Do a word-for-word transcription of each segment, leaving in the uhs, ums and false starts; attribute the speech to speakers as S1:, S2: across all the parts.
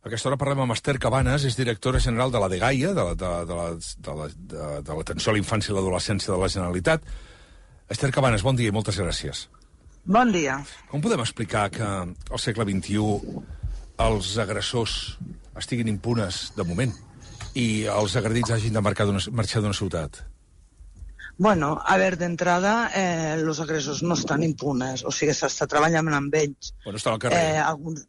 S1: A aquesta hora parlem amb Esther Cabanes, és directora general de la DGAIA, de, de, de, de, de, de l'Atenció a la Infància i l'Adolescència de la Generalitat. Esther Cabanes, bon dia i moltes gràcies.
S2: Bon dia.
S1: Com podem explicar que al segle vint-i-u els agressors estiguin impunes de moment i els agredits hagin de marcar d'una, marxar d'una ciutat?
S2: Bueno, a veure, d'entrada, eh, els agressors no estan impunes, o sigui, s'està treballant amb ells.
S1: Bueno, estan al carrer.
S2: Eh, alguns...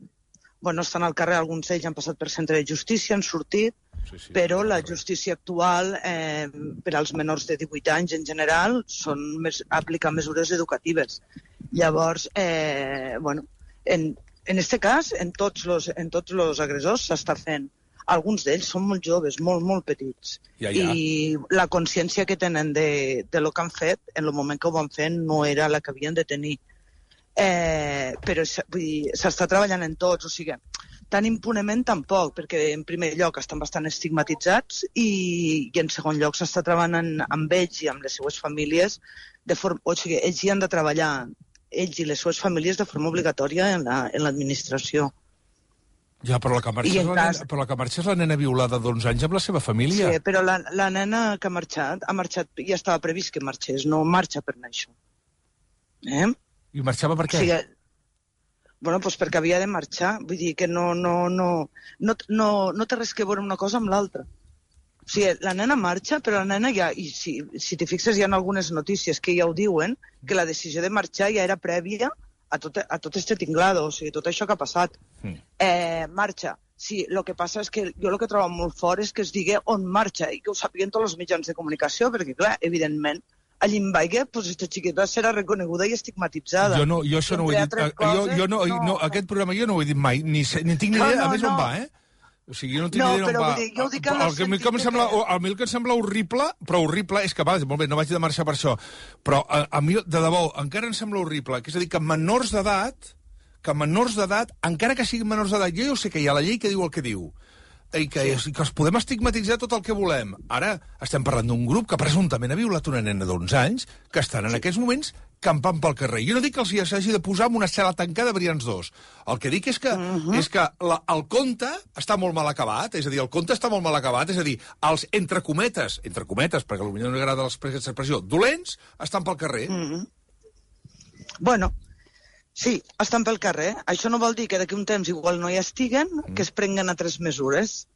S2: Bueno, estan al carrer, alguns d'ells han passat per centre de justícia, han sortit, sí, sí, però la justícia actual, eh, per als menors de divuit anys en general, són mes, aplicar mesures educatives. Llavors, eh, bueno, en, en este cas, en tots los, en tots los agressors s'està fent. Alguns d'ells són molt joves, molt, molt petits. Ja, ja. I la consciència que tenen de, de lo que han fet, en el moment que ho van fent, no era la que havien de tenir. Eh, però s'està treballant en tots, o sigui, tan impunement tampoc, perquè en primer lloc estan bastant estigmatitzats i, i en segon lloc s'està treballant amb ells i amb les seues famílies, de forma, o sigui, ells hi han de treballar, ells i les seues famílies de forma obligatòria en l'administració. La,
S1: ja, però la que marxa és la, cas... nena, però la que marxa és la nena violada d'onze anys amb la seva família.
S2: Sí, però la, la nena que ha marxat, ha marxat, ja estava previst que marxés, no marxa per anar això. Eh?
S1: I marxava per què?
S2: O sigui, bueno, doncs perquè havia de marxar. Vull dir que no, no, no, no, no, no té res que veure una cosa amb l'altra. O sigui, la nena marxa, però la nena ja... I si, si t'hi fixes, hi ha algunes notícies que ja ho diuen, que la decisió de marxar ja era prèvia a tot, a tot este tinglado, o sigui, tot això que ha passat. Mm. Eh, marxa. Sí, el que passa és que jo el que trobo molt fort és que es digui on marxa i que ho sàpiguen tots els mitjans de comunicació, perquè, clar, evidentment, a Limbaighe, doncs aquesta xiqueta serà reconeguda i estigmatitzada.
S1: Jo no, jo això no ho he dit. Coses, jo, jo no, no, no, aquest programa jo no ho he dit mai, ni, ni tinc ni idea, no, no, a més, no. On va, eh? O sigui, jo no tinc
S2: no,
S1: ni idea on va.
S2: Dir, jo ho dic en el,
S1: el, el, que em sembla, que... el que em sembla horrible, però horrible, és que, va, molt bé, no vaig de marxar per això, però a, a mi, de debò, encara em sembla horrible, que és a dir, que menors d'edat, que menors d'edat, encara que siguin menors d'edat, jo ja ho sé que hi ha la llei que diu el que diu, i que, sí. que els podem estigmatitzar tot el que volem. Ara estem parlant d'un grup que presumptament ha violat una nena d'onze anys que estan en sí. aquests moments campant pel carrer. Jo no dic que els s'hagi de posar en una cel·la tancada variants dos. El que dic és que, uh -huh. és que la, el conte està molt mal acabat, és a dir, el conte està molt mal acabat, és a dir, els entre cometes, entre cometes, perquè potser no agrada l'expressió, dolents, estan pel carrer.
S2: Uh -huh. Bueno, sí, estan pel carrer. Això no vol dir que d'aquí un temps igual no hi estiguen, mm. que es prenguen altres mesures.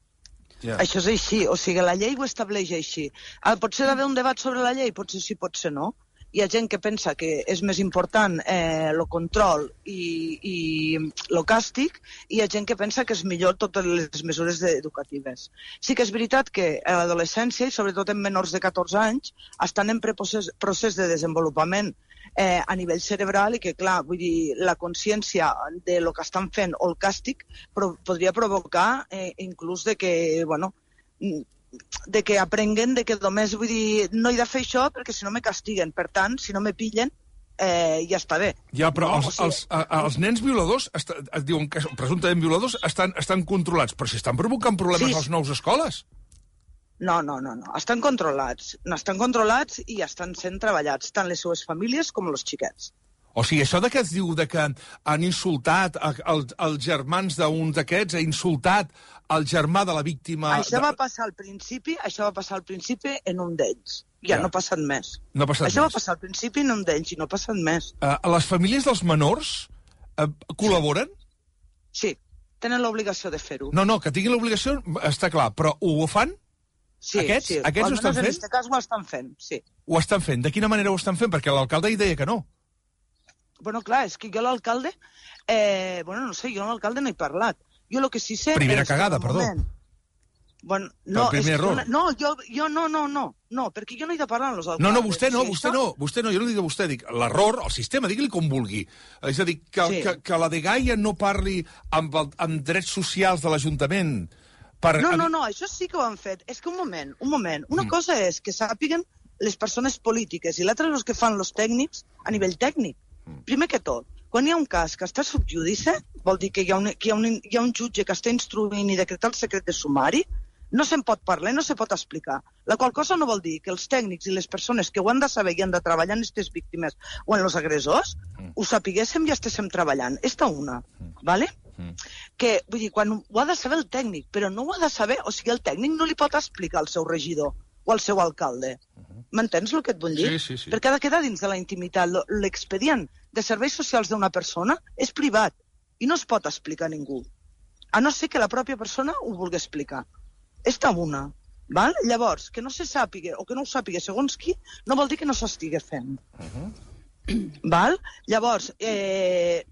S2: Yeah. Això és així, o sigui, la llei ho estableix així. Ah, potser d'haver un debat sobre la llei? Potser sí, potser no. Hi ha gent que pensa que és més important eh, el control i, i el càstig, i hi ha gent que pensa que és millor totes les mesures educatives. Sí que és veritat que a l'adolescència, i sobretot en menors de catorze anys, estan en procés, procés de desenvolupament Eh, a nivell cerebral i que, clar, vull dir, la consciència de lo que estan fent o el càstig pro podria provocar eh, inclús de que, bueno, de que aprenguen de que només, vull dir, no he de fer això perquè si no me castiguen. Per tant, si no me pillen, eh, ja està bé.
S1: Ja, però no? els, o sigui... els, els nens violadors, es diuen que presumptament violadors, estan, estan controlats, però si estan provocant problemes sí. a les nous escoles.
S2: No, no, no, no. Estan controlats. No, estan controlats i estan sent treballats, tant les seues famílies com els xiquets.
S1: O sigui, això de que es diu de que han insultat els el germans d'un d'aquests, ha insultat el germà de la víctima...
S2: Això
S1: de...
S2: va passar al principi, això va passar al principi en un d'ells. Ja, ja no ha passat més.
S1: No ha passat
S2: això
S1: més.
S2: va passar al principi en un d'ells i no ha passat més.
S1: Uh, les famílies dels menors uh, col·laboren?
S2: Sí, tenen l'obligació de fer-ho.
S1: No, no, que tinguin l'obligació està clar, però ho fan?
S2: Sí,
S1: aquests,
S2: sí.
S1: Aquests ho estan fent?
S2: En aquest cas ho estan fent, sí.
S1: Ho estan fent? De quina manera ho estan fent? Perquè l'alcalde hi deia que no.
S2: Bueno, clar, és que jo l'alcalde... Eh, bueno, no sé, jo l'alcalde no he parlat. Jo el que sí sé...
S1: Primera cagada, perdó.
S2: Moment... Bueno, no,
S1: primer
S2: és
S1: error.
S2: Una... no, jo, jo no, no, no, no, perquè jo no he de parlar amb els alcaldes.
S1: No, no, vostè no,
S2: sí,
S1: vostè
S2: això...
S1: no, vostè no, jo no dic a vostè, dic l'error, el sistema, digui-li com vulgui. És a dir, que, sí. que, que la DGAIA no parli amb, el, amb drets socials de l'Ajuntament...
S2: Per... No, no, no, això sí que ho han fet. És que un moment, un moment. Una mm. cosa és que sàpiguen les persones polítiques i l'altra és el que fan els tècnics a nivell tècnic. Mm. Primer que tot, quan hi ha un cas que està sub judice, vol dir que hi ha un, que hi ha un, hi ha un jutge que està instruint i decretar el secret de sumari, no se'n pot parlar, no se pot explicar. La qual cosa no vol dir que els tècnics i les persones que ho han de saber i han de treballar en aquestes víctimes o en els agressors, mm. ho sapiguéssim i estéssim treballant. Esta una, mm. ¿vale? Mm. Que, vull dir, quan ho ha de saber el tècnic, però no ho ha de saber, o sigui, el tècnic no li pot explicar al seu regidor o al seu alcalde. Uh-huh. M'entens el que et vull dir?
S1: Sí, sí, sí.
S2: Perquè ha de quedar dins de la intimitat. L'expedient de serveis socials d'una persona és privat i no es pot explicar a ningú, a no ser que la pròpia persona ho vulgui explicar. És tabuna. Val? Llavors, que no se sàpiga o que no ho sàpiga segons qui, no vol dir que no s'estigui fent. Uh-huh. Val? Llavors, eh,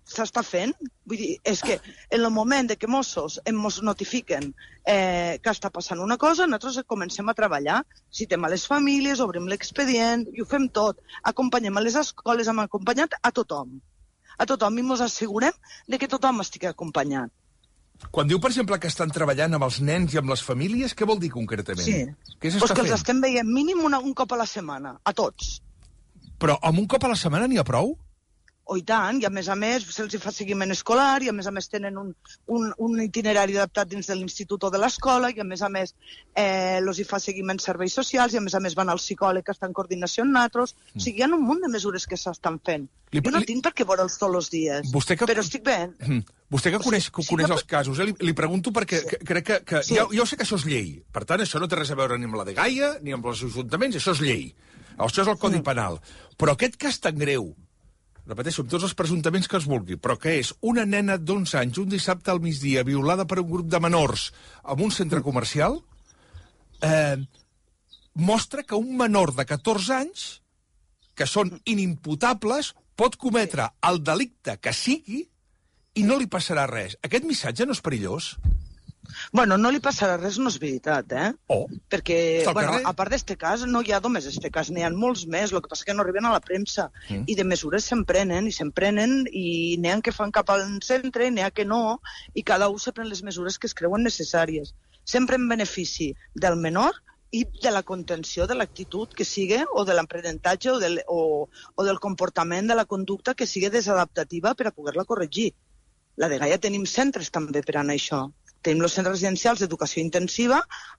S2: s'està fent. Vull dir, és que en el moment de que Mossos ens notifiquen eh, que està passant una cosa, nosaltres comencem a treballar. Citem a les famílies, obrim l'expedient, i ho fem tot. Acompanyem a les escoles, hem acompanyat a tothom. A tothom, i ens assegurem de que tothom estigui acompanyat.
S1: Quan diu, per exemple, que estan treballant amb els nens i amb les famílies, què vol dir concretament?
S2: Sí,
S1: què
S2: pues que els estem veient mínim una, un cop a la setmana, a tots.
S1: Però amb un cop a la setmana n'hi ha prou?
S2: O i tant, i a més a més se'ls fa seguiment escolar, i a més a més tenen un, un, un itinerari adaptat dins de l'institut o de l'escola, i a més a més eh, els hi fa seguiment serveis socials, i a més a més van al psicòleg que està en coordinació amb nosaltres. Mm. O sigui, hi ha un munt de mesures que s'estan fent. Li, jo no li... tinc per què veure'ls tots els dies, que... però estic bé.
S1: Mm. Vostè que coneix, que coneix sí, els casos, eh? li, li pregunto perquè sí. crec que... que sí. jo, jo sé que això és llei. Per tant, això no té res a veure ni amb la de Gaia, ni amb els ajuntaments, això és llei. Això és el Codi mm. Penal. Però aquest cas tan greu, repeteixo, amb tots els presuntaments que es vulgui, però que és una nena d'onze anys, un dissabte al migdia, violada per un grup de menors en un centre comercial, eh, mostra que un menor de catorze anys, que són inimputables, pot cometre el delicte que sigui i no li passarà res. Aquest missatge no és perillós?
S2: Bueno, no li passarà res, no és veritat, eh?
S1: Oh.
S2: Perquè, bueno, a part d'este cas, no hi ha només este cas, n'hi ha molts més, el que passa que no arriben a la premsa. Mm. I de mesures se'n prenen, i se'n prenen, i n'hi ha que fan cap al centre, n'hi ha que no, i cada un se pren les mesures que es creuen necessàries. Sempre en benefici del menor i de la contenció de l'actitud que sigui, o de l'aprenentatge, o, del, o, o del comportament de la conducta que sigui desadaptativa per a poder-la corregir. La de Gaia tenim centres també per anar a això. Tenim els centres residencials d'educació intensiva,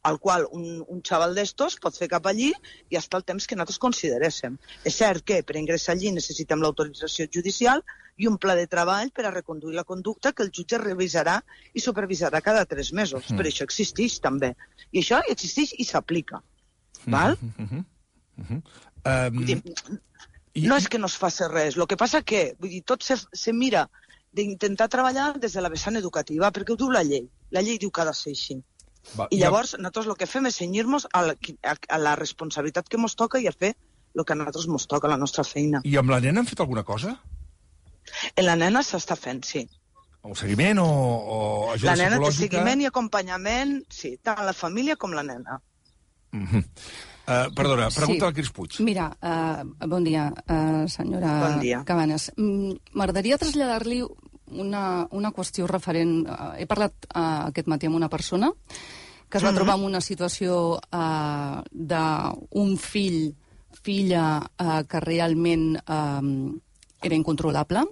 S2: al qual un, un xaval d'estos pot fer cap allí i estar el temps que nosaltres consideréssim. És cert que per ingressar allí necessitem l'autorització judicial i un pla de treball per a reconduir la conducta que el jutge revisarà i supervisarà cada tres mesos. Mm. Per això existeix també. I això existeix i s'aplica. Val? Mm -hmm. Mm -hmm. Um... Dir, no és que no es faci res. El que passa que, vull dir, tot se, se mira d'intentar treballar des de la vessant educativa, perquè ho diu la llei. La llei diu que ha de ser així. Va, I llavors, ja... nosaltres el que fem és cenyir-nos a, la, a, a la responsabilitat que ens toca i a fer el que a nosaltres ens toca, la nostra feina.
S1: I amb la nena han fet alguna cosa?
S2: En la nena s'està fent, sí.
S1: Un seguiment o, o ajuda
S2: la nena
S1: psicològica?
S2: Té seguiment i acompanyament, sí, tant la família com la nena.
S1: Mm -hmm. Uh, perdona, pregunta sí. al Cris Puig.
S3: Mira, uh, bon dia, uh, senyora
S2: bon dia.
S3: Cabanes. M'agradaria traslladar-li una, una qüestió referent... Uh, he parlat uh, aquest matí amb una persona que es va mm-hmm. trobar en una situació uh, d'un fill, filla, uh, que realment uh, era incontrolable.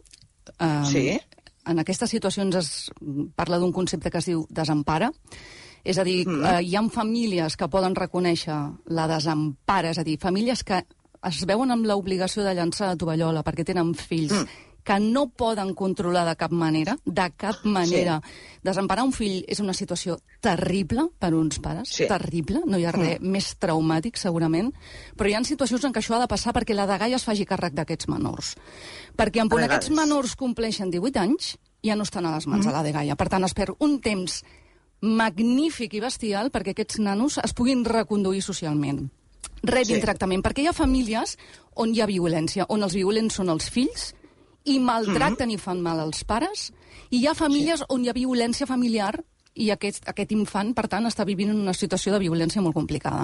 S3: Uh,
S2: sí.
S3: En aquestes situacions es parla d'un concepte que es diu desempara. És a dir, mm. eh, hi ha famílies que poden reconèixer la desempara, és a dir, famílies que es veuen amb l'obligació de llançar la tovallola perquè tenen fills mm. que no poden controlar de cap manera, de cap manera. Sí. Desemparar un fill és una situació terrible per uns pares, sí. terrible, no hi ha res mm. més traumàtic, segurament, però hi ha situacions en què això ha de passar perquè la de Gaia es faci càrrec d'aquests menors. Perquè en quan aquests menors compleixen divuit anys, ja no estan a les mans mm. de la de Gaia. Per tant, es perd un temps magnífic i bestial perquè aquests nanos es puguin reconduir socialment. Rebin sí. tractament, perquè hi ha famílies on hi ha violència, on els violents són els fills i maltracten mm-hmm. i fan mal als pares, i hi ha famílies sí. on hi ha violència familiar i aquest, aquest infant, per tant, està vivint en una situació de violència molt complicada.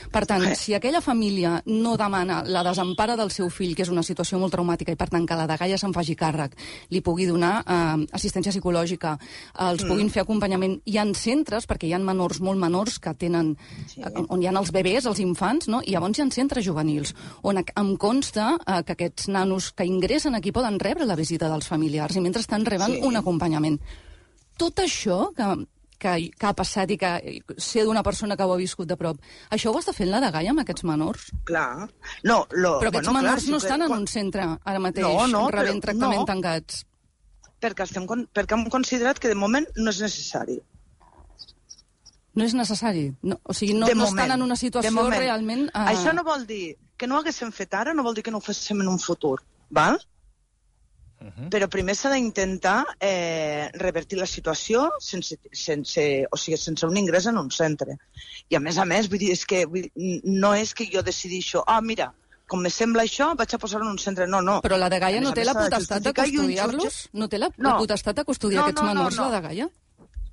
S3: Per tant, sí. si aquella família no demana la desempara del seu fill, que és una situació molt traumàtica, i per tant que la de Gaia se'n faci càrrec, li pugui donar eh, assistència psicològica, eh, els mm. puguin fer acompanyament. Hi ha centres, perquè hi ha menors molt menors que tenen, sí. eh, on hi ha els bebès, els infants, no? I llavors hi ha centres juvenils, on em consta eh, que aquests nanos que ingressen aquí poden rebre la visita dels familiars, i mentrestant reben sí. un acompanyament. Tot això que... Que, que ha passat i que sé d'una persona que ho ha viscut de prop. Això ho està fent la de Gaia amb aquests menors?
S2: Clar. No, lo,
S3: però aquests
S2: bueno,
S3: menors
S2: clar,
S3: no
S2: sí
S3: estan
S2: que...
S3: en un centre ara mateix,
S2: no, no,
S3: rebent
S2: però,
S3: tractament
S2: no.
S3: tancats.
S2: perquè, estem, perquè hem considerat que de moment no és necessari.
S3: No és necessari? No, o sigui, no, no estan en una situació realment...
S2: Uh... Això no vol dir que no ho haguéssim fet ara, no vol dir que no ho féssim en un futur, val? Uh -huh. Però primer s'ha d'intentar eh, revertir la situació sense, sense, o sigui, sense un ingrés en un centre. I a més a més, vull dir, és que vull, no és que jo decidixo, ah, mira, com me sembla això, vaig a posar-ho en un centre. No, no.
S3: Però la Dgaia no té la potestat de custodiar-los? No té la, no. la potestat de custodiar no, aquests no, menors, no, no. la Dgaia?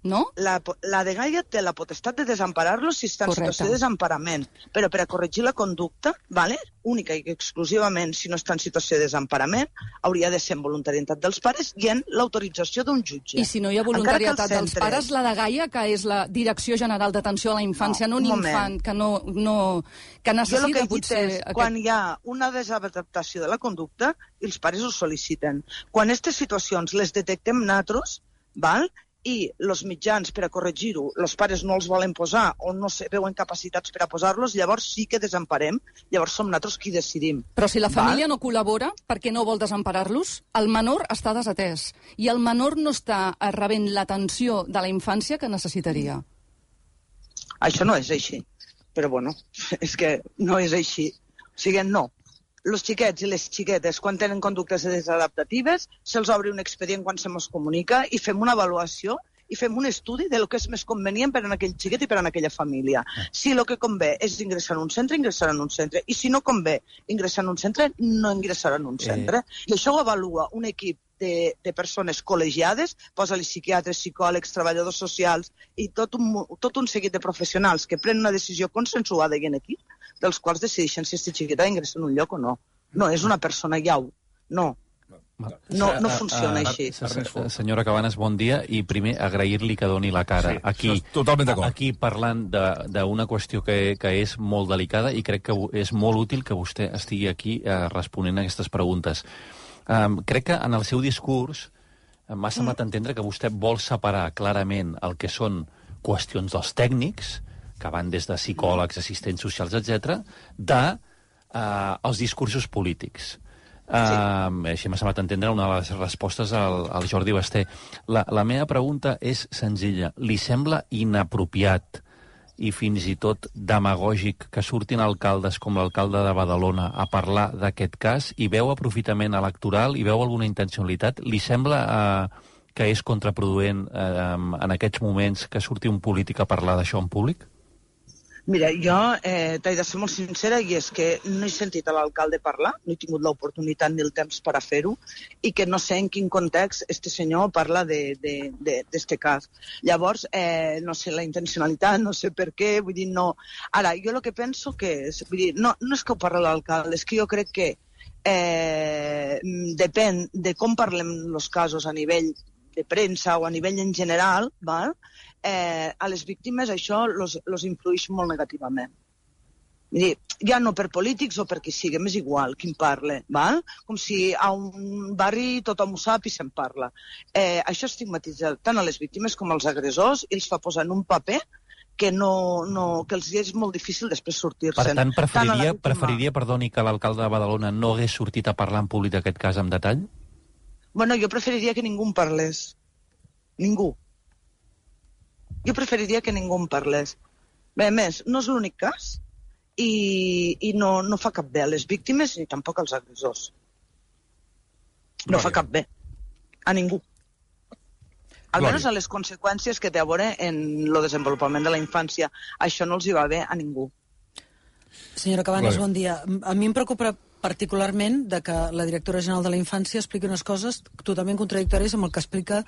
S3: No?
S2: La, la Dgaia té la potestat de desemparar-los si està en
S3: Correcte.
S2: situació de desemparament, però per a corregir la conducta, vale? Única i exclusivament, si no està en situació de desemparament, hauria de ser en voluntarietat dels pares i en l'autorització d'un jutge.
S3: I si no hi ha voluntarietat dels centre... pares, la Dgaia, que és la Direcció General d'Atenció a la Infància, no, no un, un infant que, no, no, que necessita
S2: jo el que
S3: potser...
S2: És, aquest... Quan hi ha una desadaptació de la conducta, els pares ho sol·liciten. Quan aquestes situacions les detectem nosaltres, val? I els mitjans per a corregir-ho, els pares no els volen posar o no se veuen capacitats per a posar-los, llavors sí que desemparem, llavors som nosaltres qui decidim.
S3: Però si la família Val? no col·labora perquè no vol desemparar-los, el menor està desatès i el menor no està rebent l'atenció de la infància que necessitaria.
S2: Això no és així, però bueno, és que no és així. O sigui, no. Els xiquets i les xiquetes, quan tenen conductes desadaptatives, se'ls obre un expedient quan se mos comunica i fem una avaluació i fem un estudi de lo que és més convenient per a aquell xiquet i per a aquella família. Si el que convé és ingressar en un centre, ingressar en un centre. I si no convé ingressar en un centre, no ingressar en un centre. Eh. I això ho avalua un equip de, de persones col·legiades, posa-li psiquiatres, psicòlegs, treballadors socials i tot un, tot un seguit de professionals que prenen una decisió consensuada i en equip, dels quals decideixen si aquest xiquet ha d'ingressar en un lloc o no. No, és una persona llau. No. No, no funciona així.
S4: Senyora Cabanes, bon dia. I primer, agrair-li que doni la cara.
S1: Sí,
S4: aquí,
S1: totalment d'acord.
S4: Aquí parlant d'una qüestió que, que és molt delicada i crec que és molt útil que vostè estigui aquí eh, responent a aquestes preguntes. Um, crec que en el seu discurs m'ha semblat entendre que vostè vol separar clarament el que són qüestions dels tècnics, que van des de psicòlegs, assistents socials, etcètera, de uh, els discursos polítics. Uh, sí. Així m'ha semblat entendre una de les respostes al, al Jordi Basté. La, la meva pregunta és senzilla. Li sembla inapropiat i fins i tot demagògic que surtin alcaldes com l'alcalde de Badalona a parlar d'aquest cas i veu aprofitament electoral i veu alguna intencionalitat? Li sembla uh, que és contraproduent uh, en aquests moments que surti un polític a parlar d'això en públic?
S2: Mira, jo eh, t'he de ser molt sincera i és que no he sentit a l'alcalde parlar, no he tingut l'oportunitat ni el temps per a fer-ho i que no sé en quin context este senyor parla d'aquest cas. Llavors, eh, no sé la intencionalitat, no sé per què, vull dir, no... Ara, jo el que penso que és, vull dir, no, no és que ho parla l'alcalde, és que jo crec que eh, depèn de com parlem els casos a nivell de premsa o a nivell en general, val? Eh, a les víctimes això els influeix molt negativament. Vull dir, ja no per polítics o per qui sigui, m'és igual qui en parla, val? Com si a un barri tothom ho sap i se'n parla. Eh, això estigmatitza tant a les víctimes com als agressors i els fa posar en un paper que, no, no, que els és molt difícil després sortir-se'n.
S4: Per tant, preferiria, tant preferiria perdoni, que l'alcalde de Badalona no hagués sortit a parlar en públic d'aquest cas en detall?
S2: Bueno, jo preferiria que ningú en parlés. Ningú. Jo preferiria que ningú en parlés. Bé, a més, no és l'únic cas i, i no, no fa cap bé a les víctimes ni tampoc als agressors. No vale. Fa cap bé. A ningú. Almenys a les conseqüències que té a veure en el desenvolupament de la infància. Això no els hi va bé a ningú.
S5: Senyora Cabanes, bon dia. A mi em preocupa particularment de que la directora general de la infància expliqui unes coses totalment contradictòries amb el que explica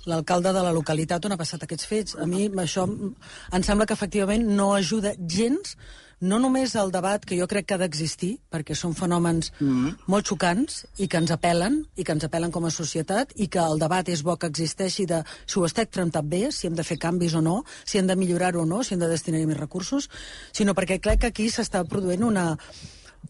S5: l'alcalde de la localitat on ha passat aquests fets. A mi això em sembla que efectivament no ajuda gens, no només al debat que jo crec que ha d'existir, perquè són fenòmens mm-hmm. molt xocants i que ens apel·len, i que ens apel·len com a societat, i que el debat és bo que existeixi de si ho està tractat bé, si hem de fer canvis o no, si hem de millorar-ho o no, si hem de destinar-hi més recursos, sinó perquè crec que aquí s'està produint una...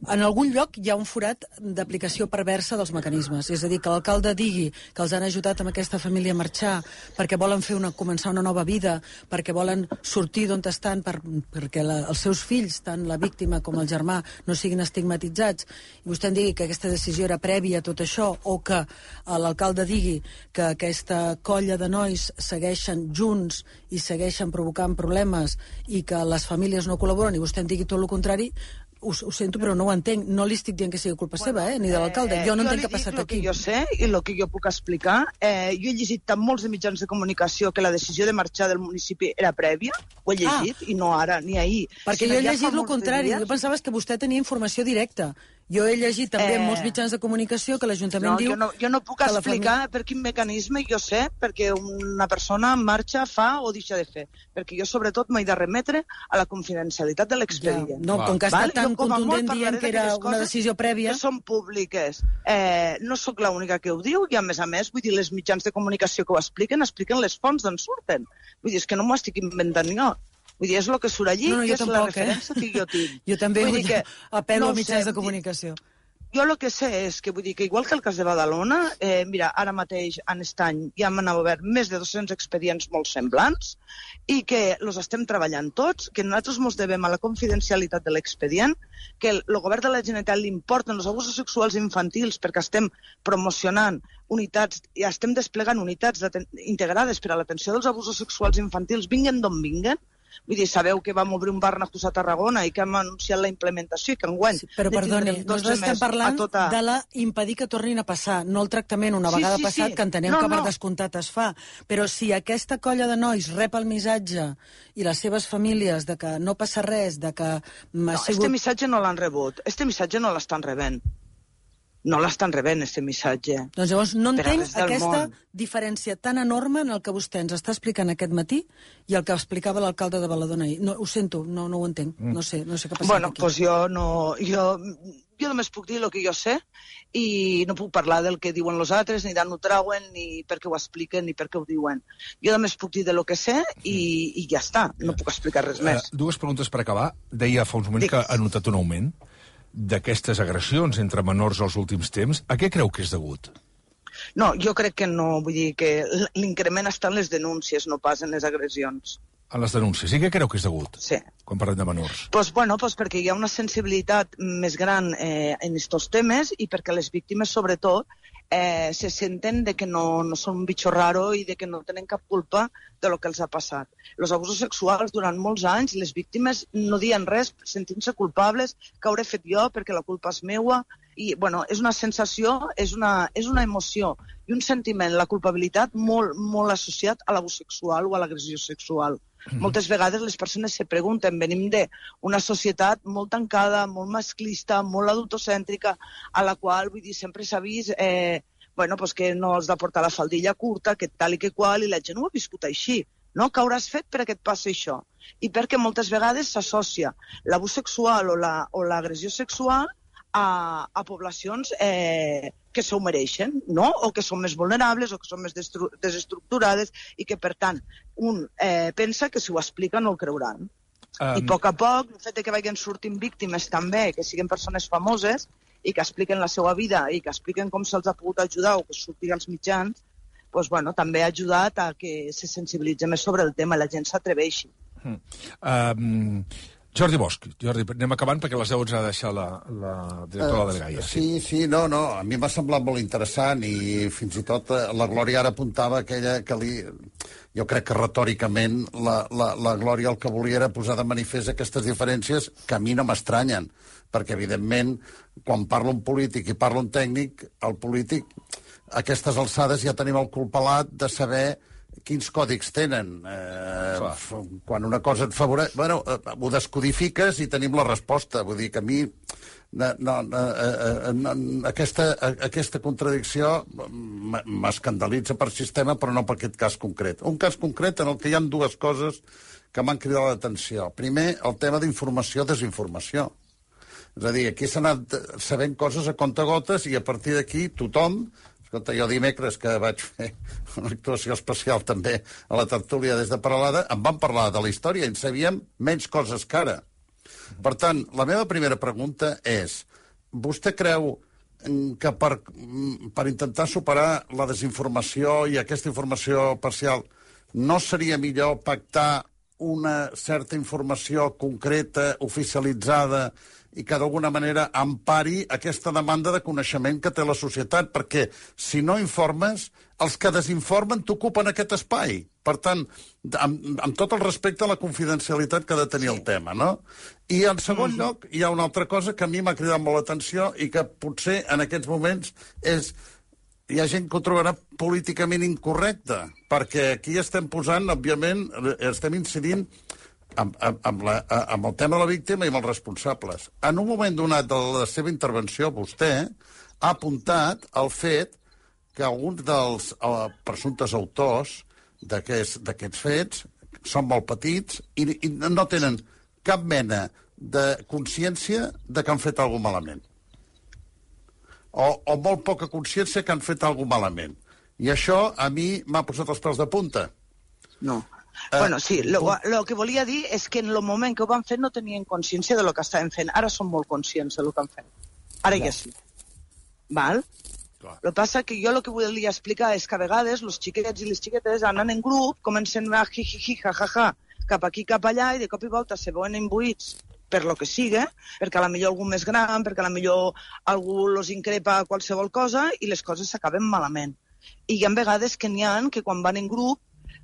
S5: en algun lloc hi ha un forat d'aplicació perversa dels mecanismes. És a dir, que l'alcalde digui que els han ajudat amb aquesta família a marxar perquè volen fer una, començar una nova vida, perquè volen sortir d'on estan, per, perquè la, els seus fills, tant la víctima com el germà, no siguin estigmatitzats, i vostè en digui que aquesta decisió era prèvia a tot això, o que l'alcalde digui que aquesta colla de nois segueixen junts i segueixen provocant problemes i que les famílies no col·laboren, i vostè en digui tot el contrari, Ho, ho sento, però no ho entenc. No li estic dient que sigui culpa bueno, seva, eh, ni de l'alcalde. Jo no
S2: eh,
S5: entenc què ha passat
S2: aquí.
S5: Jo
S2: li dic el que jo sé i el que jo puc explicar. Eh, jo he llegit tant molts de mitjans de comunicació que la decisió de marxar del municipi era prèvia. Ho he llegit, ah. i no ara, ni ahir.
S5: Perquè jo he llegit el contrari. Jo pensava que vostè tenia informació directa. Jo he llegit també en eh... molts mitjans de comunicació que l'Ajuntament
S2: no,
S5: diu...
S2: Jo no, jo no puc explicar família... per quin mecanisme jo sé, perquè una persona marxa, fa o deixa de fer. Perquè jo, sobretot, m'he de remetre a la confidencialitat de l'expedient.
S5: Ja, no, com que ha estat tan contundent dient que era una decisió prèvia...
S2: Que són públiques. Eh, no sóc l'única que ho diu, i a més a més, vull dir, les mitjans de comunicació que ho expliquen, expliquen les fonts d'on surten. Vull dir, és que no m'ho estic inventant jo. Vull dir, és el que surt allí,
S5: no, no,
S2: que és
S5: tampoc,
S2: la referència eh? que jo tinc.
S5: Jo també
S2: vull dir que,
S5: apel·lo
S2: no
S5: a mitjans
S2: sé,
S5: de comunicació.
S2: Jo el que sé és que, vull dir, que igual que el cas de Badalona, eh, mira, ara mateix, en aquest any, ja m'han obert més de dos-cents expedients molt semblants i que els estem treballant tots, que nosaltres ens devem a la confidencialitat de l'expedient, que el, el govern de la Generalitat li importen els abusos sexuals infantils perquè estem promocionant unitats, i estem desplegant unitats integrades per a l'atenció dels abusos sexuals infantils, vinguen d'on vinguen. Vull dir, sabeu que vam obrir un bar Nacús a Tarragona i que hem anunciat la implementació i que enguany...
S5: Sí, però perdoni, nosaltres estem parlant tota... de la impedir que tornin a passar, no el tractament una vegada sí, sí, passat, sí. que entenem no, que per no. descomptat es fa. Però si aquesta colla de nois rep el missatge i les seves famílies de que no passa res, de que...
S2: No, sigut... este missatge no l'han rebut, este missatge no l'estan rebent. No l'estan rebent, aquest missatge.
S5: Doncs llavors no entenc aquesta món. diferència tan enorme en el que vostè ens està explicant aquest matí i el que explicava l'alcalde de Badalona ahir. No, ho sento, no, no ho entenc. Mm. No sé, no sé què ha passat
S2: bueno,
S5: aquí.
S2: Bueno, doncs jo no... Jo, jo només puc dir el que jo sé i no puc parlar del que diuen els altres, ni d'on ho trauen, ni perquè ho expliquen, ni perquè ho diuen. Jo només puc dir de lo que sé i, i ja està. No puc explicar res més.
S1: Uh, dues preguntes per acabar. Deia fa uns moments Dic. que ha notat un augment d'aquestes agressions entre menors als últims temps. A què creu que és degut?
S2: No, jo crec que no. Vull dir que l'increment està en les denúncies, no pas en les agressions.
S1: En les denúncies. I què creu que és degut?
S2: Sí.
S1: Quan parlem de menors.
S2: Pues, bueno, pues perquè hi ha una sensibilitat més gran eh, en aquests temes i perquè les víctimes, sobretot, eh, se senten de que no, no són un bitxo raro i de que no tenen cap culpa de lo que els ha passat. Els abusos sexuals, durant molts anys, les víctimes no diuen res, sentint-se culpables, que hauré fet jo perquè la culpa és meua. I, bueno, és una sensació, és una, és una emoció i un sentiment, la culpabilitat, molt, molt associat a l'abús sexual o a l'agressió sexual. Mm-hmm. Moltes vegades les persones se pregunten, venim d'una societat molt tancada, molt masclista, molt adultocèntrica, a la qual, vull dir, sempre s'ha vist eh, bueno, pues que no has de portar la faldilla curta, que tal i que qual, i la gent ho ha viscut així. No? Què hauràs fet perquè et passi això? I perquè moltes vegades s'associa l'abús sexual o l'agressió la, sexual a, a poblacions eh, que s'ho mereixen, no? O que són més vulnerables o que són més desestructurades i que, per tant, un eh, pensa que si ho explica no el creuran. Um... I a poc a poc, el fet que vagin sortint víctimes també, que siguin persones famoses i que expliquen la seva vida i que expliquen com se'ls ha pogut ajudar o que surtin als mitjans, doncs, bueno, també ha ajudat a que se sensibilitzi més sobre el tema i la gent s'atreveixi.
S1: Mm. Um, Jordi Bosch, Jordi, anem acabant perquè a les deu ens ha de deixar la, la directora uh, de Gaia.
S6: Sí, sí, no, no, a mi m'ha semblat molt interessant i fins i tot la Glòria ara apuntava aquella que li... Jo crec que retòricament la, la, la Glòria el que volia era posar de manifest aquestes diferències que a mi no m'estranyen, perquè evidentment quan parla un polític i parla un tècnic, el polític a aquestes alçades ja tenim el cul pelat de saber quins còdics tenen. Eh, quan una cosa et favoreix... Bueno, eh, ho descodifiques i tenim la resposta. Vull dir que a mi no, no, eh, no, aquesta, aquesta contradicció m'escandalitza per sistema, però no per aquest cas concret. Un cas concret en el que hi ha dues coses que m'han cridat l'atenció. Primer, el tema d'informació-desinformació. És a dir, aquí s'ha anat sabent coses a comptagotes i a partir d'aquí tothom... Escolta, jo dimecres que vaig fer una actuació especial també a la tertúlia des de Peralada, em van parlar de la història i en sabíem menys coses que ara. Per tant, la meva primera pregunta és, vostè creu que per, per intentar superar la desinformació i aquesta informació parcial no seria millor pactar una certa informació concreta, oficialitzada, i que d'alguna manera empari aquesta demanda de coneixement que té la societat, perquè si no informes, els que desinformen t'ocupen aquest espai. Per tant, amb, amb tot el respecte a la confidencialitat que ha de tenir sí. el tema, no? I en segon mm-hmm. lloc, hi ha una altra cosa que a mi m'ha cridat molt l'atenció i que potser en aquests moments és... Hi ha gent que ho trobarà políticament incorrecta, perquè aquí estem posant, òbviament, estem incidint amb, amb, amb, la, amb el tema de la víctima i amb els responsables. En un moment donat de la seva intervenció, vostè ha apuntat el fet que alguns dels uh, presumptes autors d'aquests fets són molt petits i, i no tenen cap mena de consciència de que han fet alguna cosa malament. O, o molt poca consciència que han fet alguna cosa malament. I això a mi m'ha posat els pèls de punta.
S2: No. Eh, bueno, sí, lo, lo que volia dir és que en el moment que ho van fer no tenien consciència de lo que estaven fent. Ara són molt conscients de lo que han fet. Ara ja sí. Val? Clar. El que passa que jo el que volia explicar és que a vegades els xiquets i les xiquetes anen en grup, comencen a jijiji, jajaja, cap aquí, cap allà, i de cop i volta se veuen imbuïts per lo que siga, perquè a la millor algú més gran, perquè a la millor algú los increpa qualsevol cosa i les coses s'acaben malament. I hi ha vegades que n'hi ha que quan van en grup,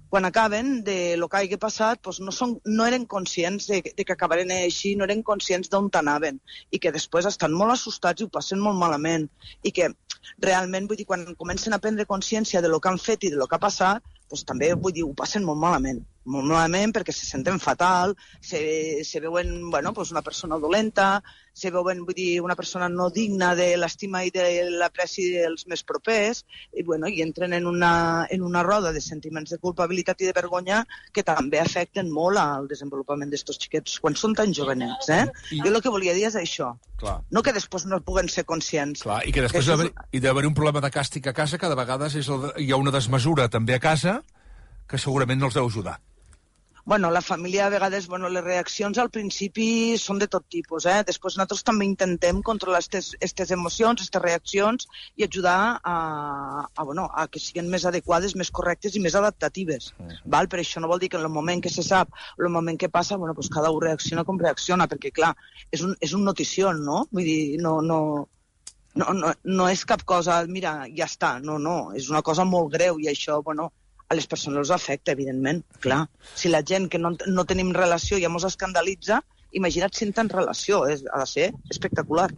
S2: quan acaben de lo que hagi passat, doncs no, són, no eren conscients de, de que acabaren així, no eren conscients d'on anaven, i que després estan molt assustats i ho passen molt malament. I que realment, vull dir, quan comencen a prendre consciència de lo que han fet i de lo que ha passat, doncs també, vull dir, ho passen molt malament. Molt malament perquè se senten fatal, se, se veuen, bueno, pues una persona dolenta, se veuen, vull dir, una persona no digna de l'estima i de l'apreci dels més propers, i, bueno, i entren en una, en una roda de sentiments de culpabilitat i de vergonya que també afecten molt al desenvolupament d'estos xiquets quan són tan jovenets, eh? I... Jo el que volia dir és això. Clar. No que després no puguen ser conscients.
S1: Clar, i que després que hi ha d'haver un problema de càstig a casa que de vegades és el de... hi ha una desmesura també a casa que segurament no els deu ajudar.
S2: Bueno, la família, a vegades, bueno, les reaccions al principi són de tot tipus, eh? Després nosaltres també intentem controlar aquestes emocions, aquestes reaccions i ajudar a, a, bueno, a que siguin més adequades, més correctes i més adaptatives. Uh-huh. Val? Per això no vol dir que en el moment que se sap, en el moment que passa, bueno, pues cada un reacciona com reacciona, perquè, clar, és un, és un notició, no? Vull dir, no... no No, no, no és cap cosa, mira, ja està, no, no, és una cosa molt greu i això, bueno, a les persones els afecta, evidentment, clar. Si la gent que no, no tenim relació ja mos escandalitza, imagina't si en tens relació, és, ha de ser espectacular.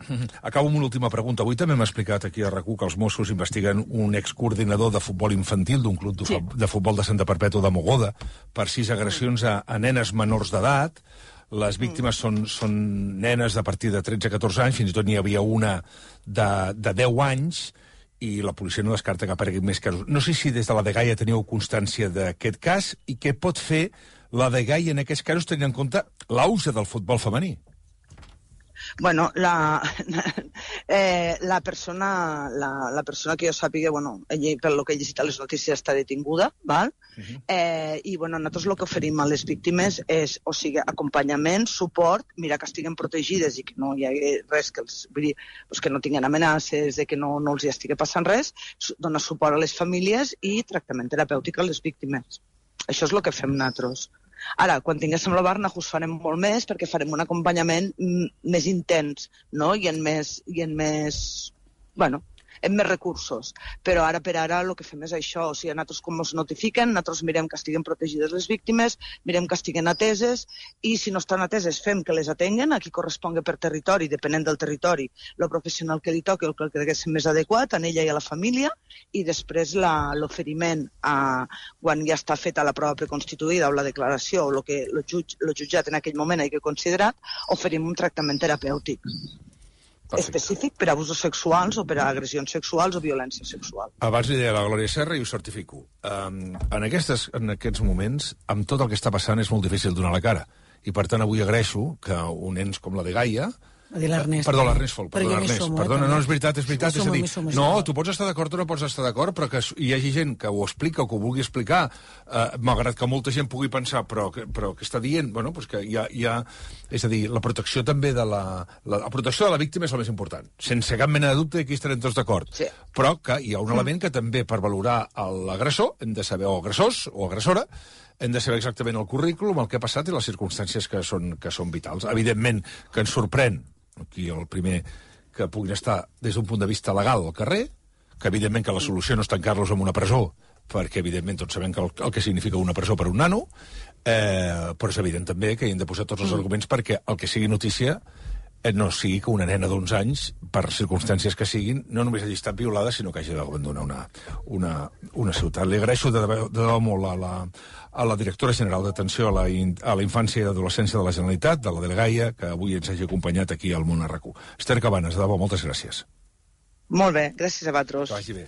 S1: Acabo amb una última pregunta. Avui també m'ha explicat aquí a RAC u que els Mossos investiguen un excoordinador de futbol infantil d'un club de, sí. de futbol de Santa Perpètua de Mogoda per sis agressions a, a nenes menors d'edat. Les víctimes són, són nenes de partir de tretze a catorze anys, fins i tot n'hi havia una de, de deu anys, i la policia no descarta que aparegui més casos. No sé si des de la dgaia teniu constància d'aquest cas i què pot fer la dgaia en aquests casos tenint en compte l'auge del futbol femení.
S2: Bueno, la, eh, la, persona, la, la persona que jo sàpiga, bueno, ella, per lo que he llegit a les notícies, està detinguda, val? Uh-huh. eh, i bueno, nosaltres el que oferim a les víctimes és, o sigui, acompanyament, suport, mirar que estiguen protegides i que no hi hagi res que els, vull dir, pues que no tinguin amenaces, de que no, no els hi estigui passant res, donar suport a les famílies i tractament terapèutic a les víctimes. Això és el que fem nosaltres. Ara, quan tinguéssim la Barnahus farem molt més perquè farem un acompanyament més intens, no? I en més, i en més, bueno, en més recursos. Però ara per ara el que fem és això, o sigui, nosaltres com ens notifiquen, nosaltres mirem que estiguen protegides les víctimes, mirem que estiguen ateses, i si no estan ateses fem que les atenguen, a qui correspongui per territori, depenent del territori, el professional que li toqui, el que cregués més adequat, a ella i a la família, i després l'oferiment, quan ja està feta la prova preconstituïda o la declaració, o el que el jutge, el jutjat en aquell moment hagi considerat, oferim un tractament terapèutic. Perfecte. Específic per a abusos sexuals o per a agressions sexuals o violència sexual.
S1: Abans li deia la Glòria Serra i ho certifico. Um, en, aquestes, en aquests moments, amb tot el que està passant, és molt difícil donar la cara. I, per tant, avui agraeixo que un ens com la dgaia
S5: A dir l'Ernest.
S1: Perdó, l'Ernest Folch,
S5: Però
S1: perdó,
S5: jo m'hi
S1: l'Ernest.
S5: sumo, eh,
S1: Perdona,
S5: també.
S1: no, és veritat, és veritat.
S5: M'hi
S1: És a
S5: sumo,
S1: dir,
S5: m'hi sumo,
S1: no,
S5: sumo.
S1: tu pots estar d'acord o no pots estar d'acord, però que hi hagi gent que ho explica o que ho vulgui explicar, eh, malgrat que molta gent pugui pensar, però que, però que està dient, bueno, pues que hi ha, hi ha... És a dir, la protecció també de la... La, la protecció de la víctima és el més important. Sense cap mena de dubte, aquí estarem tots d'acord.
S2: Sí.
S1: Però que hi ha un element que també, per valorar l'agressor, hem de saber, o agressors, o agressora, hem de saber exactament el currículum, el que ha passat i les circumstàncies que són, que són vitals. Evidentment que ens sorprèn, aquí el primer, que puguin estar des d'un punt de vista legal al carrer, que evidentment que la solució no és tancar-los en una presó, perquè evidentment tots sabem que el, el que significa una presó per un nano, eh, però és evident també que hi hem de posar tots els arguments perquè el que sigui notícia eh, no sigui que una nena d'uns anys, per circumstàncies que siguin, no només hagi estat violada, sinó que hagi d'abandonar una, una, una ciutat. Li agraeixo de debò, de debò molt a la, a la directora general d'Atenció a la, a la Infància i Adolescència de la Generalitat, de la Delegaia, que avui ens hagi acompanyat aquí al Món R Q. Esther Cabanes, de debò, moltes gràcies.
S2: Molt bé, gràcies a vosaltres.
S1: Que vagi bé.